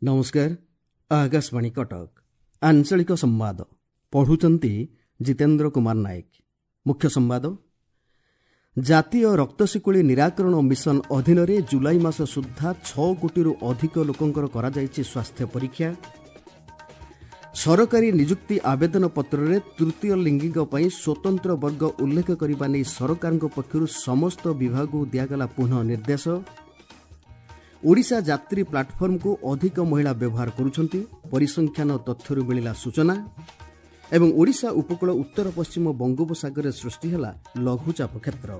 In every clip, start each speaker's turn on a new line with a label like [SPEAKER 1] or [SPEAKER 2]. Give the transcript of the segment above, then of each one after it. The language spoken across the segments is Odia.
[SPEAKER 1] ନମସ୍କାର, ଆକାଶବାଣୀ କଟକ। ଆଞ୍ଚଳିକ ସମ୍ବାଦ ପଢ଼ୁଛନ୍ତି ଜିତେନ୍ଦ୍ର କୁମାର ନାୟକ। ମୁଖ୍ୟ ସମ୍ବାଦ। ଜାତୀୟ ରକ୍ତଶିକୁଳି ନିରାକରଣ ମିଶନ ଅଧୀନରେ ଜୁଲାଇ ମାସ ସୁଦ୍ଧା 6 କୋଟିରୁ ଅଧିକ ଲୋକଙ୍କର କରାଯାଇଛି ସ୍ୱାସ୍ଥ୍ୟ ପରୀକ୍ଷା। ସରକାରୀ ନିଯୁକ୍ତି ଆବେଦନ ପତ୍ରରେ ତୃତୀୟ ଲିଙ୍ଗୀଙ୍କ ପାଇଁ ସ୍ୱତନ୍ତ୍ର ବର୍ଗ ଉଲ୍ଲେଖ କରିବା ନେଇ ସରକାରଙ୍କ ପକ୍ଷରୁ ସମସ୍ତ ବିଭାଗକୁ ଦିଆଗଲା ପୁନଃ ନିର୍ଦ୍ଦେଶ। ଓଡ଼ିଶା ଯାତ୍ରୀ ପ୍ଲାଟଫର୍ମକୁ ଅଧିକ ମହିଳା ବ୍ୟବହାର କରୁଛନ୍ତି, ପରିସଂଖ୍ୟାନ ତଥ୍ୟରୁ ମିଳିଲା ସୂଚନା। ଏବଂ ଓଡ଼ିଶା ଉପକୂଳ ଉତ୍ତର ପଶ୍ଚିମ ବଙ୍ଗୋପସାଗରରେ ସୃଷ୍ଟି ହେଲା ଲଘୁଚାପ କ୍ଷେତ୍ର।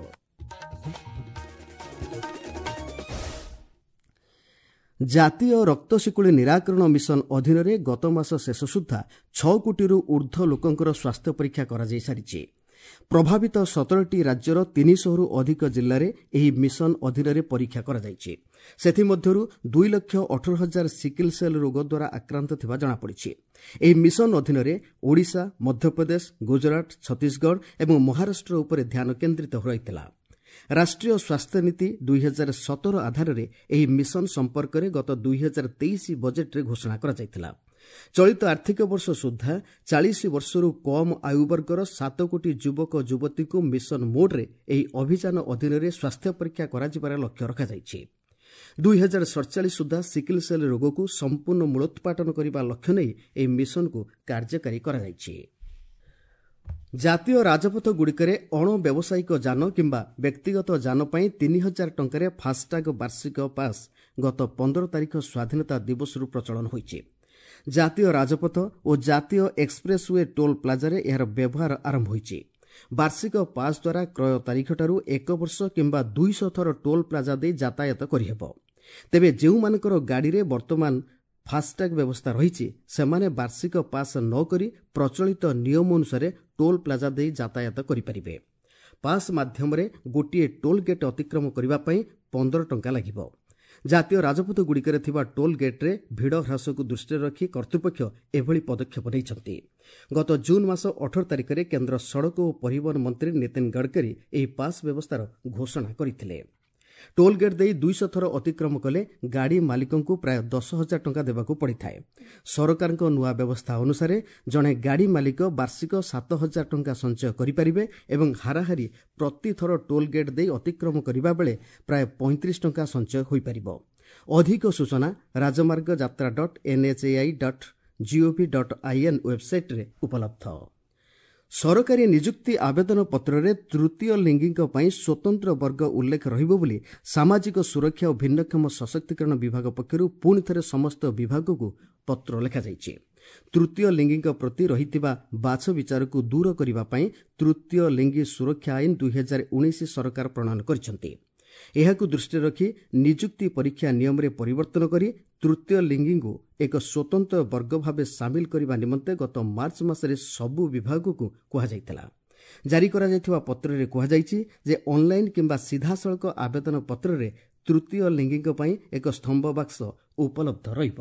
[SPEAKER 1] ଜାତୀୟ ରକ୍ତଶିକୁଳି ନିରାକରଣ ମିଶନ ଅଧୀନରେ ଗତ ମାସ ଶେଷ ସୁଦ୍ଧା 6 କୋଟିରୁ ଊର୍ଦ୍ଧ୍ୱ ଲୋକଙ୍କର ସ୍ୱାସ୍ଥ୍ୟ ପରୀକ୍ଷା କରାଯାଇସାରିଛି। ପ୍ରଭାବିତ 17ଟି ରାଜ୍ୟର 300ରୁ ଅଧିକ ଜିଲ୍ଲାରେ ଏହି ମିଶନ ଅଧୀନରେ ପରୀକ୍ଷା କରାଯାଇଛି। ସେଥିମଧ୍ୟରୁ 2,18,000 ସିକିଲ୍ ସେଲ୍ ରୋଗ ଦ୍ୱାରା ଆକ୍ରାନ୍ତ ଥିବା ଜଣାପଡ଼ିଛି। ଏହି ମିଶନ ଅଧୀନରେ ଓଡ଼ିଶା, ମଧ୍ୟପ୍ରଦେଶ, ଗୁଜରାଟ, ଛତିଶଗଡ଼ ଏବଂ ମହାରାଷ୍ଟ୍ର ଉପରେ ଧ୍ୟାନ କେନ୍ଦ୍ରିତ ହୋଇଥିଲା। ରାଷ୍ଟ୍ରୀୟ ସ୍ୱାସ୍ଥ୍ୟ ନୀତି 2017 ଆଧାରରେ ଏହି ମିଶନ ସମ୍ପର୍କରେ ଗତ 2023 ବଜେଟ୍ରେ ଘୋଷଣା କରାଯାଇଥିଲା। ଚଳିତ ଆର୍ଥିକ ବର୍ଷ ସୁଦ୍ଧା 40 ବର୍ଷରୁ କମ୍ ଆୟୁବର୍ଗର 7 କୋଟି ଯୁବକ ଯୁବତୀଙ୍କୁ ମିଶନ ମୋଡ୍ରେ ଏହି ଅଭିଯାନ ଅଧୀନରେ ସ୍ୱାସ୍ଥ୍ୟ ପରୀକ୍ଷା କରାଯିବାର ଲକ୍ଷ୍ୟ ରଖାଯାଇଛି। 2047 ସୁଦ୍ଧା ସିକିଲ୍ ସେଲ୍ ରୋଗକୁ ସମ୍ପୂର୍ଣ୍ଣ ମୂଳୋତ୍ପାଟନ କରିବା ଲକ୍ଷ୍ୟ ନେଇ ଏହି ମିଶନକୁ କାର୍ଯ୍ୟକାରୀ କରାଯାଇଛି। ଜାତୀୟ ରାଜପଥଗୁଡ଼ିକରେ ଅଣବ୍ୟାବସାୟିକ ଯାନ କିମ୍ବା ବ୍ୟକ୍ତିଗତ ଯାନ ପାଇଁ 3000 ଟଙ୍କାରେ ଫାସ୍ଟ୍ୟାଗ୍ ବାର୍ଷିକ ପାସ୍ ଗତ 15 ତାରିଖ ସ୍ୱାଧୀନତା ଦିବସରୁ ପ୍ରଚଳନ ହୋଇଛି। ଜାତୀୟ ରାଜପଥ ଓ ଜାତୀୟ ଏକ୍ସପ୍ରେସ୍ we toll ପ୍ଲାଜାରେ ଏହାର ବ୍ୟବହାର ଆରମ୍ଭ ହୋଇଛି। ବାର୍ଷିକ ପାସ୍ ଦ୍ୱାରା କ୍ରୟ ତାରିଖଠାରୁ 1 ବର୍ଷ କିମ୍ବା 200 ଥର ଟୋଲ୍ ପ୍ଲାଜା ଦେଇ ଯାତାୟାତ କରିହେବ। ତେବେ ଯେଉଁମାନଙ୍କର ଗାଡ଼ିରେ ବର୍ତ୍ତମାନ ଫାସ୍ଟ୍ୟାଗ୍ ବ୍ୟବସ୍ଥା ରହିଛି, ସେମାନେ ବାର୍ଷିକ ପାସ୍ ନ କରି ପ୍ରଚଳିତ ନିୟମ ଅନୁସାରେ ଟୋଲ୍ ପ୍ଲାଜା ଦେଇ ଯାତାୟାତ କରିପାରିବେ। ପାସ୍ ମାଧ୍ୟମରେ ଗୋଟିଏ ଟୋଲ୍ ଗେଟ୍ ଅତିକ୍ରମ କରିବା ପାଇଁ 15 ଟଙ୍କା ଲାଗିବ। ଜାତୀୟ ରାଜପଥଗୁଡ଼ିକରେ ଥିବା ଟୋଲ୍ ଗେଟ୍ରେ ଭିଡ଼ ହ୍ରାସକୁ ଦୃଷ୍ଟିରେ ରଖି କର୍ତ୍ତୃପକ୍ଷ ଏଭଳି ପଦକ୍ଷେପ ନେଇଛନ୍ତି। ଗତ ଜୁନ୍ ମାସ 18 ତାରିଖରେ କେନ୍ଦ୍ର ସଡ଼କ ଓ ପରିବହନ ମନ୍ତ୍ରୀ ନୀତିନ ଗଡ଼କରୀ ଏହି ପାସ୍ ବ୍ୟବସ୍ଥାର ଘୋଷଣା କରିଥିଲେ। ଟୋଲ୍ ଗେଟ୍ ଦେଇ 200 ଥର ଅତିକ୍ରମ କଲେ ଗାଡ଼ି ମାଲିକଙ୍କୁ ପ୍ରାୟ 10,000 ଟଙ୍କା ଦେବାକୁ ପଡ଼ିଥାଏ। ସରକାରଙ୍କ ନୂଆ ବ୍ୟବସ୍ଥା ଅନୁସାରେ ଜଣେ ଗାଡ଼ି ମାଲିକ ବାର୍ଷିକ 7,000 ଟଙ୍କା ସଞ୍ଚୟ କରିପାରିବେ ଏବଂ ହାରାହାରି ପ୍ରତିଥର ଟୋଲ୍ ଗେଟ୍ ଦେଇ ଅତିକ୍ରମ କରିବା ବେଳେ ପ୍ରାୟ 35 ଟଙ୍କା ସଞ୍ଚୟ ହୋଇପାରିବ। ଅଧିକ ସୂଚନା ରାଜମାର୍ଗ ଯାତ୍ରା dot NHAI dot GOV dot IN ୱେବ୍ସାଇଟ୍ରେ ଉପଲବ୍ଧ। ସରକାରୀ ନିଯୁକ୍ତି ଆବେଦନ ପତ୍ରରେ ତୃତୀୟ ଲିଙ୍ଗୀଙ୍କ ପାଇଁ ସ୍ୱତନ୍ତ୍ର ବର୍ଗ ଉଲ୍ଲେଖ ରହିବ ବୋଲି ସାମାଜିକ ସୁରକ୍ଷା ଓ ଭିନ୍ନକ୍ଷମ ସଶକ୍ତିକରଣ ବିଭାଗ ପକ୍ଷରୁ ପୁଣି ଥରେ ସମସ୍ତ ବିଭାଗକୁ ପତ୍ର ଲେଖାଯାଇଛି। ତୃତୀୟ ଲିଙ୍ଗୀଙ୍କ ପ୍ରତି ରହିଥିବା ବାଛ ବିଚାରକୁ ଦୂର କରିବା ପାଇଁ ତୃତୀୟ ଲିଙ୍ଗୀ ସୁରକ୍ଷା ଆଇନ 2019 ସରକାର ପ୍ରଣୟନ କରିଛନ୍ତି। ଏହାକୁ ଦୃଷ୍ଟିରେ ରଖି ନିଯୁକ୍ତି ପରୀକ୍ଷା ନିୟମରେ ପରିବର୍ତ୍ତନ କରି ତୃତୀୟ ଲିଙ୍ଗୀଙ୍କୁ ଏକ ସ୍ୱତନ୍ତ୍ର ବର୍ଗ ଭାବେ ସାମିଲ କରିବା ନିମନ୍ତେ ଗତ ମାର୍ଚ୍ଚ ମାସରେ ସବୁ ବିଭାଗକୁ କୁହାଯାଇଥିଲା। ଜାରି କରାଯାଇଥିବା ପତ୍ରରେ କୁହାଯାଇଛି ଯେ ଅନ୍ଲାଇନ୍ କିମ୍ବା ସିଧାସଳଖ ଆବେଦନ ପତ୍ରରେ ତୃତୀୟ ଲିଙ୍ଗୀଙ୍କ ପାଇଁ ଏକ ସ୍ତମ୍ଭ ବାକ୍ସ ଉପଲବ୍ଧ ରହିବ।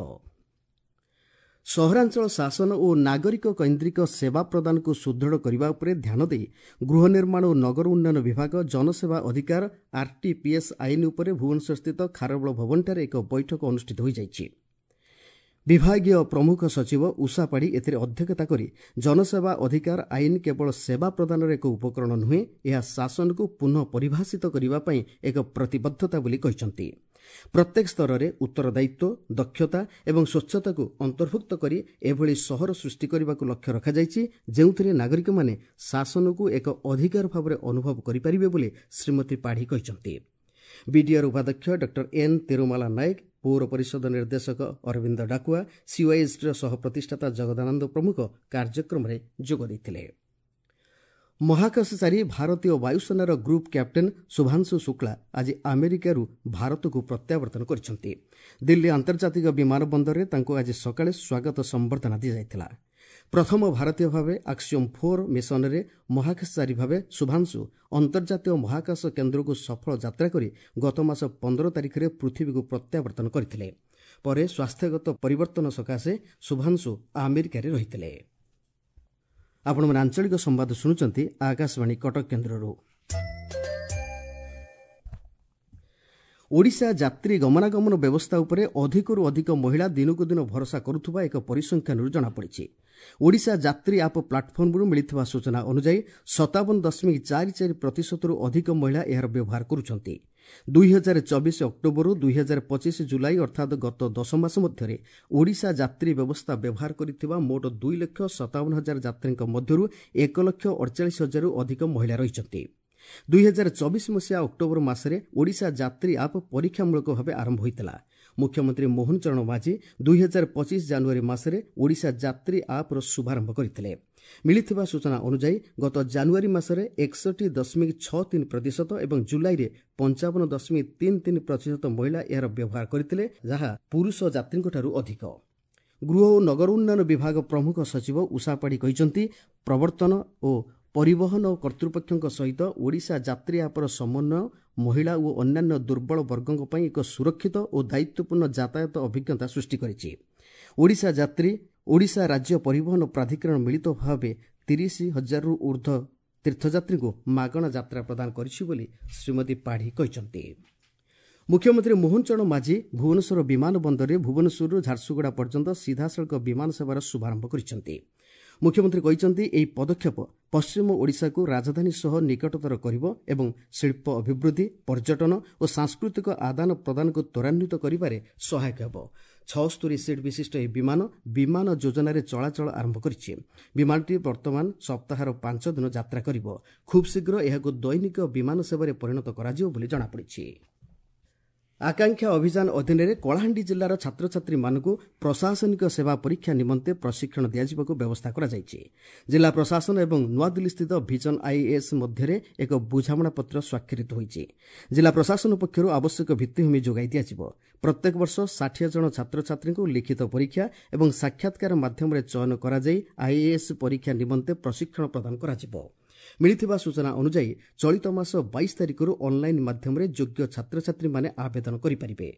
[SPEAKER 1] ସହରାଞ୍ଚଳ ଶାସନ ଓ ନାଗରିକ କୈନ୍ଦ୍ରିକ ସେବା ପ୍ରଦାନକୁ ସୁଦୃଢ଼ କରିବା ଉପରେ ଧ୍ୟାନ ଦେଇ ଗୃହ ନିର୍ମାଣ ଓ ନଗର ଉନ୍ନୟନ ବିଭାଗ ଜନସେବା ଅଧିକାର ଆର୍ଟିପିଏସ୍ ଆଇନ ଉପରେ ଭୁବନେଶ୍ୱରସ୍ଥିତ ଖାରବେଳ ଭବନଠାରେ ଏକ ବୈଠକ ଅନୁଷ୍ଠିତ ହୋଇଯାଇଛି। ବିଭାଗୀୟ ପ୍ରମୁଖ ସଚିବ ଉଷା ପାଢ଼ୀ ଏଥିରେ ଅଧ୍ୟକ୍ଷତା କରି ଜନସେବା ଅଧିକାର ଆଇନ କେବଳ ସେବା ପ୍ରଦାନର ଏକ ଉପକରଣ ନୁହେଁ, ଏହା ଶାସନକୁ ପୁନଃ ପରିଭାଷିତ କରିବା ପାଇଁ ଏକ ପ୍ରତିବଦ୍ଧତା ବୋଲି କହିଛନ୍ତି। ପ୍ରତ୍ୟେକ ସ୍ତରରେ ଉତ୍ତରଦାୟିତ୍ୱ, ଦକ୍ଷତା ଏବଂ ସ୍ୱଚ୍ଛତାକୁ ଅନ୍ତର୍ଭୁକ୍ତ କରି ଏଭଳି ସହର ସୃଷ୍ଟି କରିବାକୁ ଲକ୍ଷ୍ୟ ରଖାଯାଇଛି, ଯେଉଁଥିରେ ନାଗରିକମାନେ ଶାସନକୁ ଏକ ଅଧିକାର ଭାବରେ ଅନୁଭବ କରିପାରିବେ ବୋଲି ଶ୍ରୀମତୀ ପାଢ଼ୀ କହିଛନ୍ତି। ବିଡିଆର୍ ଉପାଧ୍ୟକ୍ଷ ଡକ୍ଟର ଏନ୍ ତିରୁମାଲା ନାୟକ, ପୌର ପରିଷଦ ନିର୍ଦ୍ଦେଶକ ଅରବିନ୍ଦ ଡାକୁଆ, ସିୱାଇଏସ୍ଡିର ସହ ପ୍ରତିଷ୍ଠାତା ଜଗଦାନନ୍ଦ ପ୍ରମୁଖ କାର୍ଯ୍ୟକ୍ରମରେ ଯୋଗ ଦେଇଥିଲେ। ମହାକାଶଚାରୀ ଭାରତୀୟ ବାୟୁସେନାର ଗ୍ରୁପ୍ କ୍ୟାପ୍ଟେନ୍ ଶୁଭାଂଶୁ ଶୁକ୍ଳା ଆଜି ଆମେରିକାରୁ ଭାରତକୁ ପ୍ରତ୍ୟାବର୍ତ୍ତନ କରିଛନ୍ତି। ଦିଲ୍ଲୀ ଆନ୍ତର୍ଜାତିକ ବିମାନ ବନ୍ଦରରେ ତାଙ୍କୁ ଆଜି ସକାଳେ ସ୍ୱାଗତ ସମ୍ବର୍ଦ୍ଧନା ଦିଆଯାଇଥିଲା। ପ୍ରଥମ ଭାରତୀୟ ଭାବେ ଆକ୍ସିଓମ୍ 4 ମିଶନରେ ମହାକାଶଚାରୀ ଭାବେ ଶୁଭାଂଶୁ ଅନ୍ତର୍ଜାତୀୟ ମହାକାଶ କେନ୍ଦ୍ରକୁ ସଫଳ ଯାତ୍ରା କରି ଗତ ମାସ 15 ତାରିଖରେ ପୃଥିବୀକୁ ପ୍ରତ୍ୟାବର୍ତ୍ତନ କରିଥିଲେ। ପରେ ସ୍ୱାସ୍ଥ୍ୟଗତ ପରିବର୍ତ୍ତନ ସକାଶେ ଶୁଭାଂଶୁ ଆମେରିକାରେ ରହିଥିଲେ। ଆପଣମାନେ ଆଞ୍ଚଳିକ ସମ୍ବାଦ ଶୁଣୁଛନ୍ତି ଆକାଶବାଣୀ କଟକ କେନ୍ଦ୍ରରୁ। ଓଡ଼ିଶା ଯାତ୍ରୀ ଗମନାଗମନ ବ୍ୟବସ୍ଥା ଉପରେ ଅଧିକରୁ ଅଧିକ ମହିଳା ଦିନକୁ ଦିନ ଭରସା କରୁଥିବା ଏକ ପରିସଂଖ୍ୟାନରୁ ଜଣାପଡ଼ିଛି। ଓଡ଼ିଶା ଯାତ୍ରୀ ଆପ୍ ପ୍ଲାଟଫର୍ମରୁ ମିଳିଥିବା ସୂଚନା ଅନୁଯାୟୀ 57.44 ପ୍ରତିଶତରୁ ଅଧିକ ମହିଳା ଏହାର ବ୍ୟବହାର କରୁଛନ୍ତି। 2024 ଅକ୍ଟୋବରରୁ 2025 ଜୁଲାଇ ଅର୍ଥାତ୍ ଗତ 10 ମାସ ମଧ୍ୟରେ ଓଡ଼ିଶା ଯାତ୍ରୀ ବ୍ୟବସ୍ଥା ବ୍ୟବହାର କରିଥିବା ମୋଟ 2,57,000 ଯାତ୍ରୀଙ୍କ ମଧ୍ୟରୁ 1,48,000ରୁ ଅଧିକ ମହିଳା ରହିଛନ୍ତି। 2024 ମସିହା ଅକ୍ଟୋବର ମାସରେ ଓଡ଼ିଶା ଯାତ୍ରୀ ଆପ୍ ପରୀକ୍ଷାମୂଳକ ଭାବେ ଆରମ୍ଭ ହୋଇଥିଲା। ମୁଖ୍ୟମନ୍ତ୍ରୀ ମୋହନ ଚରଣ ମାଝୀ 2025 ଜାନୁଆରୀ ମାସରେ ଓଡ଼ିଶା ଯାତ୍ରୀ ଆପ୍ର ଶୁଭାରମ୍ଭ କରିଥିଲେ। ମିଳିଥିବା ସୂଚନା ଅନୁଯାୟୀ ଗତ ଜାନୁଆରୀ ମାସରେ 61.63 ପ୍ରତିଶତ ଏବଂ ଜୁଲାଇରେ 55.33 ପ୍ରତିଶତ ମହିଳା ଏହାର ବ୍ୟବହାର କରିଥିଲେ, ଯାହା ପୁରୁଷ ଯାତ୍ରୀଙ୍କଠାରୁ ଅଧିକ। ଗୃହ ଓ ନଗର ଉନ୍ନୟନ ବିଭାଗ ପ୍ରମୁଖ ସଚିବ ଉଷା ପାଢ଼ୀ କହିଛନ୍ତି, ପ୍ରବର୍ତ୍ତନ ଓ ପରିବହନ କର୍ତ୍ତୃପକ୍ଷଙ୍କ ସହିତ ଓଡ଼ିଶା ଯାତ୍ରୀ ଆପ୍ର ସମନ୍ୱୟ ମହିଳା ଓ ଅନ୍ୟାନ୍ୟ ଦୁର୍ବଳ ବର୍ଗଙ୍କ ପାଇଁ ଏକ ସୁରକ୍ଷିତ ଓ ଦାୟିତ୍ୱପୂର୍ଣ୍ଣ ଯାତାୟାତ ଅଭିଜ୍ଞତା ସୃଷ୍ଟି କରିଛି। ଓଡ଼ିଶା ଯାତ୍ରୀ, ଓଡ଼ିଶା ରାଜ୍ୟ ପରିବହନ ପ୍ରାଧିକରଣ ମିଳିତ ଭାବେ 30,000ରୁ ଉର୍ଦ୍ଧ୍ୱ ତୀର୍ଥଯାତ୍ରୀଙ୍କୁ ମାଗଣା ଯାତ୍ରା ପ୍ରଦାନ କରିଛି ବୋଲି ଶ୍ରୀମତୀ ପାଢ଼ୀ କହିଛନ୍ତି। ମୁଖ୍ୟମନ୍ତ୍ରୀ ମୋହନ ଚରଣ ମାଝୀ ଭୁବନେଶ୍ୱର ବିମାନ ବନ୍ଦରରେ ଭୁବନେଶ୍ୱରରୁ ଝାରସୁଗୁଡ଼ା ପର୍ଯ୍ୟନ୍ତ ସିଧାସଳଖ ବିମାନ ସେବାର ଶୁଭାରମ୍ଭ କରିଛନ୍ତି। ମୁଖ୍ୟମନ୍ତ୍ରୀ କହିଛନ୍ତି, ଏହି ପଦକ୍ଷେପ ପଶ୍ଚିମ ଓଡ଼ିଶାକୁ ରାଜଧାନୀ ସହ ନିକଟତର କରିବ ଏବଂ ଶିଳ୍ପ ଅଭିବୃଦ୍ଧି, ପର୍ଯ୍ୟଟନ ଓ ସାଂସ୍କୃତିକ ଆଦାନ ପ୍ରଦାନକୁ ତ୍ୱରାନ୍ୱିତ କରିବାରେ ସହାୟକ ହେବ। 76 ସିଟ୍ ବିଶିଷ୍ଟ ଏହି ବିମାନ ବିମାନ ଯୋଜନାରେ ଚଳାଚଳ ଆରମ୍ଭ କରିଛି। ବିମାନଟି ବର୍ତ୍ତମାନ ସପ୍ତାହର 5 ଦିନ ଯାତ୍ରା କରିବ। ଖୁବ୍ ଶୀଘ୍ର ଏହାକୁ ଦୈନିକ ବିମାନ ସେବାରେ ପରିଣତ କରାଯିବ ବୋଲି ଜଣାପଡ଼ିଛି। ଆକାଂକ୍ଷା ଅଭିଯାନ ଅଧୀନରେ କଳାହାଣ୍ଡି ଜିଲ୍ଲାର ଛାତ୍ରଛାତ୍ରୀମାନଙ୍କୁ ପ୍ରଶାସନିକ ସେବା ପରୀକ୍ଷା ନିମନ୍ତେ ପ୍ରଶିକ୍ଷଣ ଦିଆଯିବାକୁ ବ୍ୟବସ୍ଥା କରାଯାଇଛି। ଜିଲ୍ଲା ପ୍ରଶାସନ ଏବଂ ନୂଆଦିଲ୍ଲୀସ୍ଥିତ ଭିଜନ ଆଇଏଏସ୍ ମଧ୍ୟରେ ଏକ ବୁଝାମଣାପତ୍ର ସ୍ୱାକ୍ଷରିତ ହୋଇଛି। ଜିଲ୍ଲା ପ୍ରଶାସନ ପକ୍ଷରୁ ଆବଶ୍ୟକ ଭିତ୍ତିଭୂମି ଯୋଗାଇ ଦିଆଯିବ। ପ୍ରତ୍ୟେକ ବର୍ଷ 60 ଜଣ ଛାତ୍ରଛାତ୍ରୀଙ୍କୁ ଲିଖିତ ପରୀକ୍ଷା ଏବଂ ସାକ୍ଷାତକାର ମାଧ୍ୟମରେ ଚୟନ କରାଯାଇ ଆଇଏଏସ୍ ପରୀକ୍ଷା ନିମନ୍ତେ ପ୍ରଶିକ୍ଷଣ ପ୍ରଦାନ କରାଯିବ। ମିଳିଥିବା ସୂଚନା ଅନୁଯାୟୀ ଚଳିତ ମାସ 22 ତାରିଖରୁ ଅନ୍ଲାଇନ୍ ମାଧ୍ୟମରେ ଯୋଗ୍ୟ ଛାତ୍ରଛାତ୍ରୀମାନେ ଆବେଦନ କରିପାରିବେ।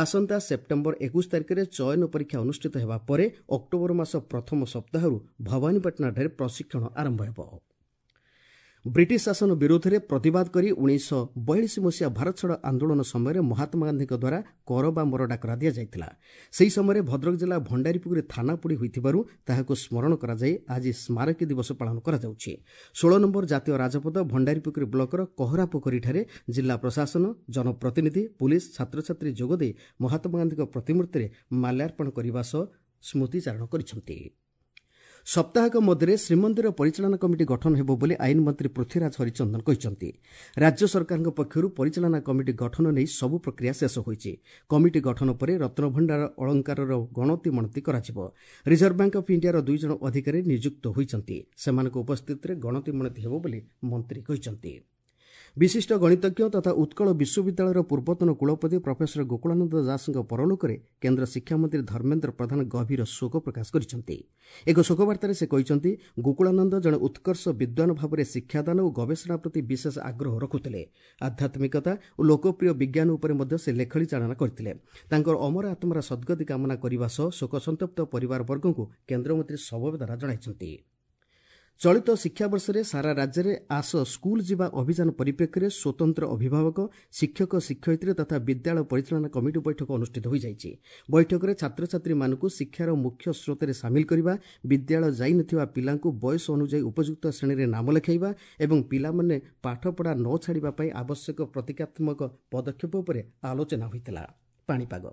[SPEAKER 1] ଆସନ୍ତା ସେପ୍ଟେମ୍ବର 21 ତାରିଖରେ ଚୟନ ପରୀକ୍ଷା ଅନୁଷ୍ଠିତ ହେବା ପରେ ଅକ୍ଟୋବର ମାସ ପ୍ରଥମ ସପ୍ତାହରୁ ଭବାନୀପାଟଣାଠାରେ ପ୍ରଶିକ୍ଷଣ ଆରମ୍ଭ ହେବ। ବ୍ରିଟିଶ ଶାସନ ବିରୋଧରେ ପ୍ରତିବାଦ କରି 1942 ମସିହା ଭାରତ ଛାଡ଼ ଆନ୍ଦୋଳନ ସମୟରେ ମହାତ୍ମା ଗାନ୍ଧୀଙ୍କ ଦ୍ୱାରା କର ବା ମର ଡାକରା ଦିଆଯାଇଥିଲା। ସେହି ସମୟରେ ଭଦ୍ରକ ଜିଲ୍ଲା ଭଣ୍ଡାରୀପୁରରେ ଥାନା ପୋଡ଼ି ହୋଇଥିବାରୁ ତାହାକୁ ସ୍ମରଣ କରାଯାଇ ଆଜି ସ୍ମାରକୀ ଦିବସ ପାଳନ କରାଯାଉଛି। 16 ନମ୍ବର ଜାତୀୟ ରାଜପଥ ଭଣ୍ଡାରୀପୋଖରୀ ବ୍ଲକର କହରାପୋଖରୀଠାରେ ଜିଲ୍ଲା ପ୍ରଶାସନ, ଜନପ୍ରତିନିଧି, ପୁଲିସ, ଛାତ୍ରଛାତ୍ରୀ ଯୋଗଦେଇ ମହାତ୍ମା ଗାନ୍ଧୀଙ୍କ ପ୍ରତିମୂର୍ତ୍ତିରେ ମାଲ୍ୟାର୍ପଣ କରିବା ସହ ସ୍ମୃତିଚାରଣ କରିଛନ୍ତି। ସପ୍ତାହକ ମଧ୍ୟରେ ଶ୍ରୀମନ୍ଦିର ପରିଚାଳନା କମିଟି ଗଠନ ହେବ ବୋଲି ଆଇନ ମନ୍ତ୍ରୀ ପୃଥ୍ୱୀରାଜ ହରିଚନ୍ଦନ କହିଛନ୍ତି। ରାଜ୍ୟ ସରକାରଙ୍କ ପକ୍ଷରୁ ପରିଚାଳନା କମିଟି ଗଠନ ନେଇ ସବୁ ପ୍ରକ୍ରିୟା ଶେଷ ହୋଇଛି। କମିଟି ଗଠନ ପରେ ରତ୍ନଭଣ୍ଡାର ଅଳଙ୍କାରର ଗଣତି ମଣତି କରାଯିବ। ରିଜର୍ଭ ବ୍ୟାଙ୍କ ଅଫ୍ ଇଣ୍ଡିଆର 2 ଜଣ ଅଧିକାରୀ ନିଯୁକ୍ତ ହୋଇଛନ୍ତି। ସେମାନଙ୍କ ଉପସ୍ଥିତିରେ ଗଣତି ମଣତି ହେବ ବୋଲି ମନ୍ତ୍ରୀ କହିଛନ୍ତି। ବିଶିଷ୍ଟ ଗଣିତଜ୍ଞ ତଥା ଉତ୍କଳ ବିଶ୍ୱବିଦ୍ୟାଳୟର ପୂର୍ବତନ କୁଳପତି ପ୍ରଫେସର ଗୋକୁଳାନନ୍ଦ ଦାସଙ୍କ ପରଲୋକରେ କେନ୍ଦ୍ର ଶିକ୍ଷାମନ୍ତ୍ରୀ ଧର୍ମେନ୍ଦ୍ର ପ୍ରଧାନ ଗଭୀର ଶୋକ ପ୍ରକାଶ କରିଛନ୍ତି। ଏକ ଶୋକବାର୍ତ୍ତାରେ ସେ କହିଛନ୍ତି, ଗୋକୁଳାନନ୍ଦ ଜଣେ ଉତ୍କର୍ଷ ବିଦ୍ୱାନ ଭାବରେ ଶିକ୍ଷାଦାନ ଓ ଗବେଷଣା ପ୍ରତି ବିଶେଷ ଆଗ୍ରହ ରଖୁଥିଲେ। ଆଧ୍ୟାତ୍ମିକତା ଓ ଲୋକପ୍ରିୟ ବିଜ୍ଞାନ ଉପରେ ମଧ୍ୟ ସେ ଲେଖନୀ ଚାଳନା କରିଥିଲେ। ତାଙ୍କର ଅମର ଆତ୍ମାର ସଦ୍ଗତି କାମନା କରିବା ସହ ଶୋକସନ୍ତପ୍ତ ପରିବାରବର୍ଗଙ୍କୁ କେନ୍ଦ୍ରମନ୍ତ୍ରୀ ସମବେଦନା ଜଣାଇଛନ୍ତି। ଚଳିତ ଶିକ୍ଷାବର୍ଷରେ ସାରା ରାଜ୍ୟରେ ଆସ ସ୍କୁଲ ଯିବା ଅଭିଯାନ ପରିପ୍ରେକ୍ଷୀରେ ସ୍ୱତନ୍ତ୍ର ଅଭିଭାବକ, ଶିକ୍ଷକ, ଶିକ୍ଷୟିତ୍ରୀ ତଥା ବିଦ୍ୟାଳୟ ପରିଚାଳନା କମିଟି ବୈଠକ ଅନୁଷ୍ଠିତ ହୋଇଯାଇଛି। ବୈଠକରେ ଛାତ୍ରଛାତ୍ରୀମାନଙ୍କୁ ଶିକ୍ଷାର ମୁଖ୍ୟ ସ୍ରୋତରେ ସାମିଲ କରିବା, ବିଦ୍ୟାଳୟ ଯାଇନଥିବା ପିଲାଙ୍କୁ ବୟସ ଅନୁଯାୟୀ ଉପଯୁକ୍ତ ଶ୍ରେଣୀରେ ନାମ ଲେଖାଇବା ଏବଂ ପିଲାମାନେ ପାଠପଢ଼ା ନ ଛାଡ଼ିବା ପାଇଁ ଆବଶ୍ୟକ ପ୍ରତୀକାତ୍ମକ ପଦକ୍ଷେପ ଉପରେ ଆଲୋଚନା ହୋଇଥିଲା। ପାଣିପାଗ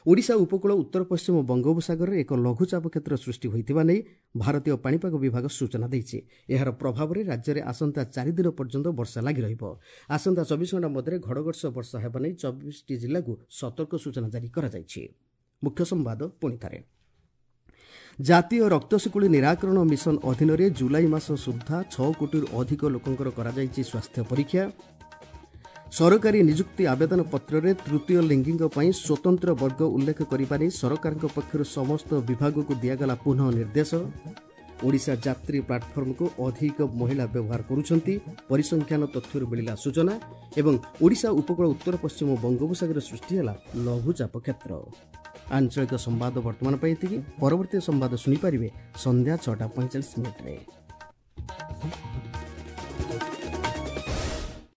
[SPEAKER 1] ଓଡ଼ିଶା ଉପକୂଳ ଉତ୍ତର ପଶ୍ଚିମ ବଙ୍ଗୋପସାଗରରେ ଏକ ଲଘୁଚାପ କ୍ଷେତ୍ର ସୃଷ୍ଟି ହୋଇଥିବା ନେଇ ଭାରତୀୟ ପାଣିପାଗ ବିଭାଗ ସୂଚନା ଦେଇଛି। ଏହାର ପ୍ରଭାବରେ ରାଜ୍ୟରେ ଆସନ୍ତା 4 ଦିନ ପର୍ଯ୍ୟନ୍ତ ବର୍ଷା ଲାଗି ରହିବ। ଆସନ୍ତା 24 ଘଣ୍ଟା ମଧ୍ୟରେ ଘଡ଼ଘଡ଼ି ସହ ବର୍ଷା ହେବା ନେଇ 24ଟି ଜିଲ୍ଲାକୁ ସତର୍କ ସୂଚନା ଜାରି କରାଯାଇଛି। ମୁଖ୍ୟ ସମ୍ବାଦ ପୁଣି ଥରେ। ଜାତୀୟ ରକ୍ତଶିକୁଳି ନିରାକରଣ ମିଶନ ଅଧୀନରେ ଜୁଲାଇ ମାସ ସୁଦ୍ଧା 6 କୋଟିରୁ ଅଧିକ ଲୋକଙ୍କର କରାଯାଇଛି ସ୍ୱାସ୍ଥ୍ୟ ପରୀକ୍ଷା। ସରକାରୀ ନିଯୁକ୍ତି ଆବେଦନ ପତ୍ରରେ ତୃତୀୟ ଲିଙ୍ଗୀଙ୍କ ପାଇଁ ସ୍ୱତନ୍ତ୍ର ବର୍ଗ ଉଲ୍ଲେଖ କରିବା ନେଇ ସରକାରଙ୍କ ପକ୍ଷରୁ ସମସ୍ତ ବିଭାଗକୁ ଦିଆଗଲା ପୁନଃ ନିର୍ଦ୍ଦେଶ। ଓଡ଼ିଶା ଯାତ୍ରୀ ପ୍ଲାଟଫର୍ମକୁ ଅଧିକ ମହିଳା ବ୍ୟବହାର କରୁଛନ୍ତି, ପରିସଂଖ୍ୟାନ ତଥ୍ୟରୁ ମିଳିଲା ସୂଚନା। ଏବଂ ଓଡ଼ିଶା ଉପକୂଳ ଉତ୍ତର ପଶ୍ଚିମ ବଙ୍ଗୋପସାଗରରେ ସୃଷ୍ଟି ହେଲା ଲଘୁଚାପ କ୍ଷେତ୍ର। ଆଞ୍ଚଳିକ ସମ୍ବାଦ ବର୍ତ୍ତମାନ ପାଇଁ ଏତିକି। ପରବର୍ତ୍ତୀ ସମ୍ବାଦ ଶୁଣିପାରିବେ ସନ୍ଧ୍ୟା 6:45।